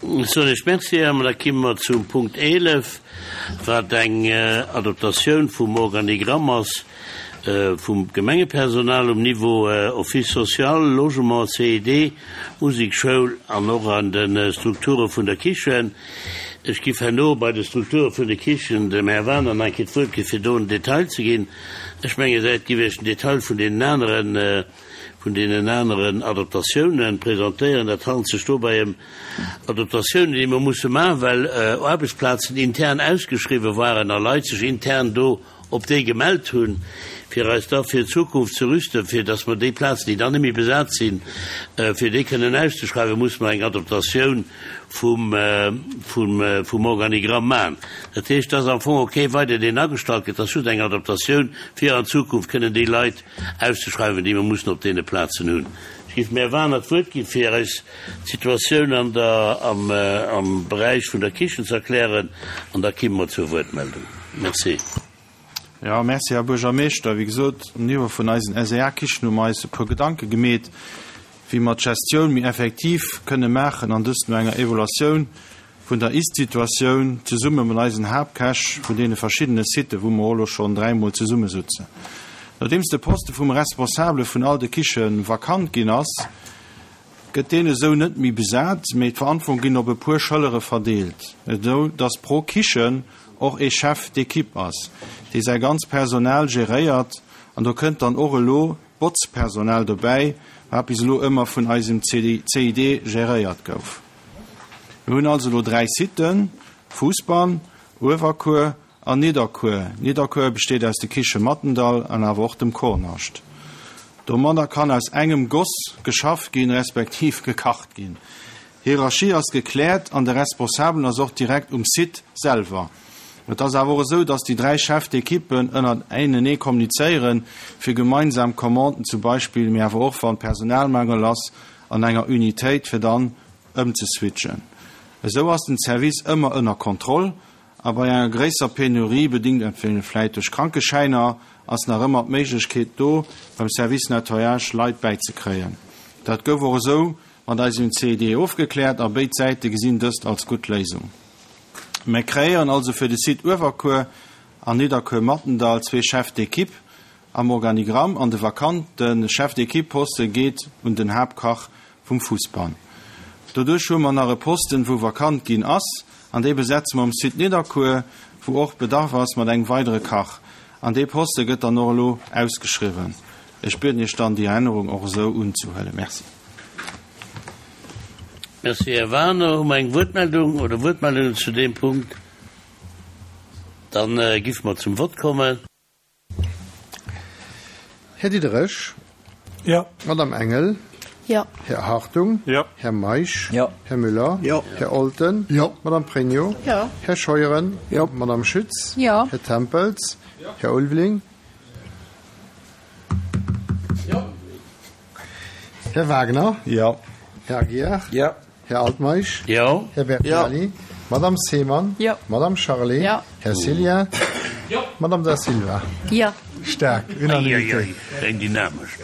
Ech soen Iech Merci. An da kimme mer zum Punkt 11, wat eng Adoptatioun vum Organigramm ass vum Gemengepersonal um Niveau Office social, Logement, CID, Musekschoul an och an de Strukture vun der Kichen. Ech giff herno bei de Strukture vun de Kichen dem Här Waner nach eng Kéier d'Wuert gi fir do en Detail ze ginn. Ech mengen, säit giff Iech den Detail vun deenen aneren, vun deenen aneren Adaptatiounen presentéieren. Dat handelt sech dobäi ëm Adaptatiounen, déi mer musse maachen, well Aarbechtsplazen intern ausgeschriwwen waren a Leit sech intern do op déi gemellt hunn, fir eis da fir d'Zukunft ze rüsten, fir dass mer déi Plazen, déi dann net méi besat sinn, fir déi kënnen auszeschreiwen, musse mer eng Adaptatioun vum, vum, vum Organigramm maachen. Dat heescht, dass am Fong och kee weider, deen agestallt gëtt, dass just eng Adaptatioun, fir an Zukunft kënnen déi Leit auszeschreiwen, déi mer mussen op deene Plazen hunn. Ech géif dem Här Waner d'Wuert ginn, fir eis d'Situatioun an der, am, am Beräich vun der Kichen ze erklären, an da kimme mer zur Wuertmeldung. Merci. Jo, merci, Här Buergermeeschter. Wéi gesot, um Niveau vun eisen SEA-Kichen hu mer eis e puer Gedanke gemeet, wéi mer d'Gestioun méi effektiv kënne maachen, an dëst no enger Evaluatioun vun der Ist-Situatioun zesumme mat eisen Haaptkäch vun deene verschiddene Siten, wou mer och elo schonn dräimol zesummesutzen. Nodeems de Poste vum Responsabele vun all de Kiche vakant ginn ass, gëtt deen esou net méi besat, mee d'Verantwortung ginn op e puer Schëllere verdeelt, esou dass pro Kichen och ee Chef d'équipe ass, dee säi ganz Personal geréiert. An do kënnt dann och elo d'Botzpersonal dobäi, wat bis elo ëmmer vun eisem CID geréiert gouf. Mir hunn also elo 3 Siten, Fousbann, Uewerkuer an Nidderkuer. Nidderkuer besteet aus de Kiche Mattendall an awer och dem Kornascht. Domadder kann aus engem Goss geschafft ginn, respektiv gekacht ginn. Hierarchie ass gekläert an de Responsabelen ass och direkt um Site selwer. Et ass awer och esou, dass déi 3 Chefs d'équipen ënnertenee kommunizéieren, fir gemeinsam Commanden zum Beispill, mee awer och wann Personalmangel ass an enger Unitéit, fir dann ëmzeswitchen. Esou ass den Service ëmmer ënner Kontroll a bei enger gréisser Penurie, bedingt entweder vläit duerch Krankeschäiner, ass nach ëmmer d'Méiglechkeet do, beim Service Nettoyage Leit bäizekréien. Dat gouf och esou mat eisem CED ofgekläert a béid Säite gesinn dëst als gutt Léisung. Mir kreéieren also fir de Site Uewerkuer an Nidderkuer-Mattendall zwee Chefs d'équipe am Organigramm an de vakante Chef d'équipe Poste geet un den Haaptkach vum Fussbann. Doduerch hu mer nach e Posten wou vakant ginn ass an dee besetze mer um Site Nidderkuer, wou och Bedarf ass mat engem weidere Kach. An dee Poste gëtt dann och elo ausgeschriwwen. Ech bieden Iech dann déi Ännerung och esou unzehuelen. Merci. Merci, Här Wagener. Hu mer eng Wuertmeldung oder Wuertmeldungen zu deem Punkt? Dann giffe mer zum Vott kommen. Här Diderich. Jo. Madame Engel. Jo. Här Hartung. Jo. Här Meisch. Jo. Här Müller. Jo. Här Olten. Jo. Madame Pregno. Jo. Här Scheuren. Jo. Madame Schütz. Jo. Här Tempels. Jo. Här Ulveling. Jo. Här Wagner. Jo. Här Aguiar. Jo. Här Altmeisch. Jo. Här Bertinelli. Jo. Madame Seemann. Jo. Madame Charlé. Jo. Här Cillien. Jo. Madame Da Silva. Jo. Staark Unanimitéit. Eieiei, eng dynamesch.